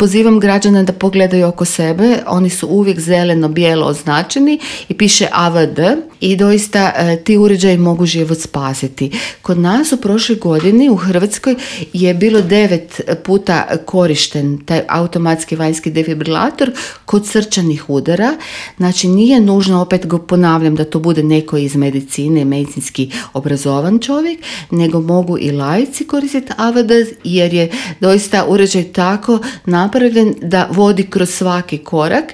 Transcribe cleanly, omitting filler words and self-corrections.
Pozivam građana da pogledaju oko sebe, oni su uvijek zeleno-bijelo označeni i piše AVD i doista ti uređaji mogu život spasiti. Kod nas u prošloj godini u Hrvatskoj je bilo 9 puta korišten taj automatski vanjski defibrilator kod srčanih udara. Znači nije nužno, opet go ponavljam, da to bude neko iz medicine, medicinski obrazovan čovjek, nego mogu i laici koristiti AVD jer je doista uređaj tako napravljen da vodi kroz svaki korak